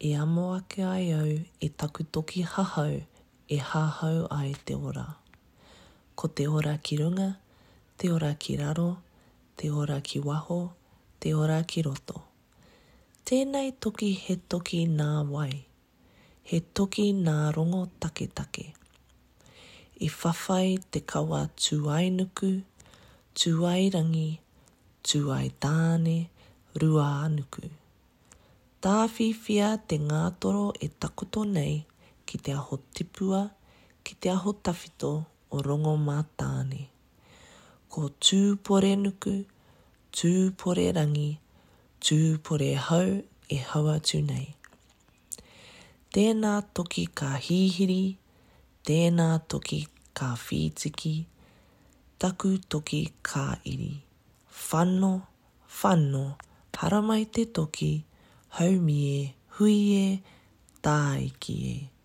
E amo ake ai au e taku toki hahau e hahau ai te ora. Ko te ora ki runga, te ora ki raro, te ora ki waho, te ora ki roto. Tēnei toki he toki nā wai. He toki nā rongo take. I whawhai te kawa tūai nuku, tūai rangi, tūai tāne, rua anuku. Tāwhiwhia te ngātoro e takoto nei ki te aho tipua, ki te aho tawhito o rongo mātāne. Ko tūpore nuku, tūpore rangi, tūpore hau e hau atu nei. Tēnā toki ka hihiri, tēnā toki ka whitiki, taku toki ka iri. Whano, haramai te toki, haumi e, hui e, tāiki e.